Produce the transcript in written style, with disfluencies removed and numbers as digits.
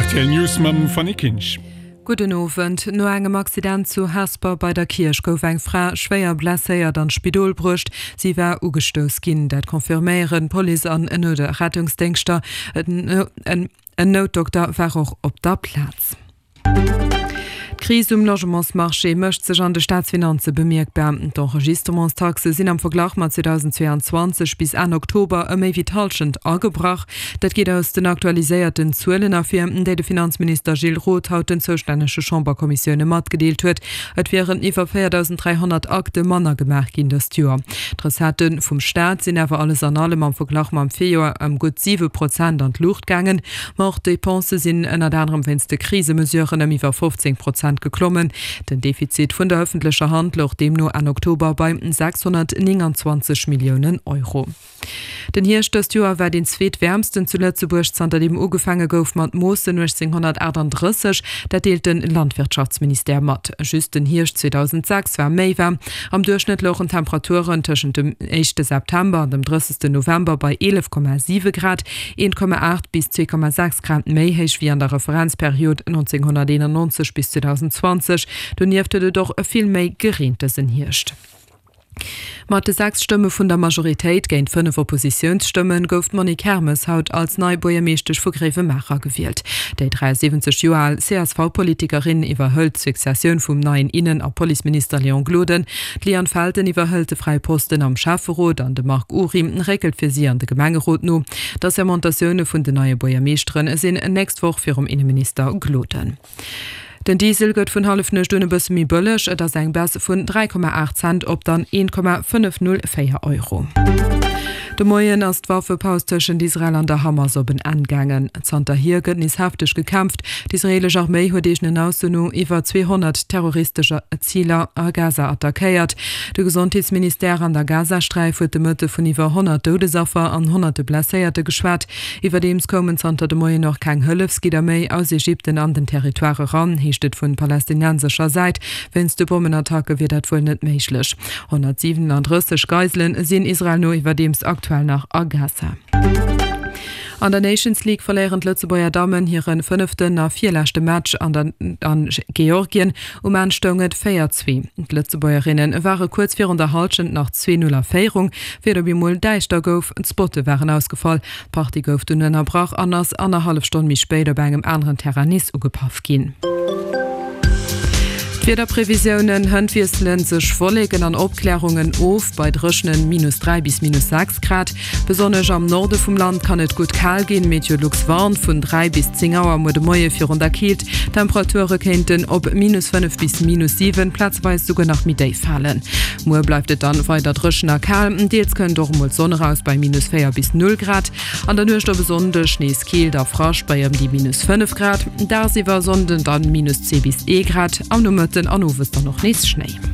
Rtl News mam Fanny Kinsch. Gudden Owend. No engem Accident zu Hesper bei der Kierch gouf eng Fra schwéier blesséiert an d'Spidol bruecht. Si war ugestouss ginn. Dat confirméieren d'Police an Rettungsdéngschter. En Noutdokter war och op der Plaz. D'Kris um Logementsmarché mécht sech an de Staatsfinanze bemierkbar. D'Enregistrementstaxe sinn am Verglach mat 2022 bis Enn Oktober ëm méi wéi d'Hallschent agebrach. Dat geet aus den aktualiséierten Zuelen ervir, déi de Finanzminister Gilles Roth haut den zoustännege Chamberkommissioune matgedeelt huet. Et wieren iwwer 4.300 Akte manner gemaach ginn dëst Joer. D'Recettë vum Staat sinn awer alles an allem am Verglach mam Virjoer ëm gutt 7 Prozent an d'Luucht gaangen. Ma och d'Depensë sinn ënnert anerem wéinst de Krisemesuren ëm iwwer 15 Prozent geklommen. Den Defizit vun der ëffentlecher Hand louch deemno Enn Oktober bei 629 Milliounen Euro. Den Hierscht dëst Joer war deen zweetwäermsten zu Lëtzebuerg, zanter deem ugefaange gouf mat Moossen 1838. Dat deelt de Landwirtschaftsministère mat. Just den Hierscht 2006 war méi waarm. Am Duerchschnëtt louchen d'Temperaturen tëschent dem éischte September an dem 30. November bei 11,7 Grad. 1,8 bis 2,6 Grad méi héich wéi an der Referenzperiod 1991 bis 2020. Donieft huet et och vill méi gereent dësen Hierscht. Mat de 6 Stëmme vun der Majoritéit géint 5 Oppositiounsstëmme gouf d'Monique Hermes haut als nei Buergermeeschtesch vu Gréiwemaacher gewielt. Déi 73 Joer al CSV-Politikerin iwwerhëlt d'Successioun vum neien Innen a Policeminister Léon Gloden. D'Liane Felten iwwerhëlt de fräie Posten am Schäfferot an de Marc Ury réckelt fir si an de Gemengerot no. D'Assermentatioune vun den neie Buergermeeschtere sinn nächst Woch virum Inneminister Gloden. Den Diesel gëtt vun Hallefnuecht un e bësse méi bëlleg, et ass eng Baisse vun 3,8 Cent op dann 1,504 Euro. De Moien ass d'Waffepaus tëschent Israel an der Hamas op en Enn gaangen. Zanterhier gëtt nees hefteg gekämpft. D'israeelesch Arméi huet eegenen Ausso no iwwer 200 terroristesch Ziler a Gaza attackéiert. De Gesondheetsministère an der Gazasträif huet de Mëtte vun iwwer 100 Doudesaffer an honnerte Blesséierte geschwat. Iwwerdeems koumen zanter de Moien och keng Hëllefsgidder méi aus Ägypten an den Territoire eran, heescht et vun palästinensescher Säit. Wéinst de Bommenattacke wier dat wuel net méiglech. 137 Geiselen sinn Israel no iwwerdeems aktuell nach a Gaza. An der Nations League verléieren d'Lëtzebuerger Dammen hire fënneften a virleschte Match an der an Georgien. Um Enn stoung et 4, 2. D'Lëtzebuergerinne ware kuerz virun der Hallschent nach 2, 0 a Féierung, wéi et op eemol däischter gouf. D'Spotte waren ausgefall. D'Partie gouf dunn ënnerbrach an ass annerhallef Stonn méi spéit op engem aneren Terrain nees ugepaff ginn. D'Wiederprevisiounen, Hënt wiessele sech Wolleken an Opklärungen of, bei dréchenen minus 3 bis minus 6 Grad. Besonnesch am Norde vum Land kann et gutt kal ginn. Meteolux warnt vun 3 bis 10 Auer muer de Moie virun der Keelt. D'Temperature kéinten op minus 5 bis minus 7, plazeweis souguer nach méi déif falen. Muer bleift et dann weider dréchen a kal, deels kënnt och emol d'Sonn eraus bei minus 4 bis 0 Grad. An der Nuecht op e Sonndeg nees Keelt a Frascht bei ëm déi minus 5 Grad, dagsiwwer Sonnden dann minus 2 bis 1 Grad, am Nomëtten an Owes dann och nees Schnéi.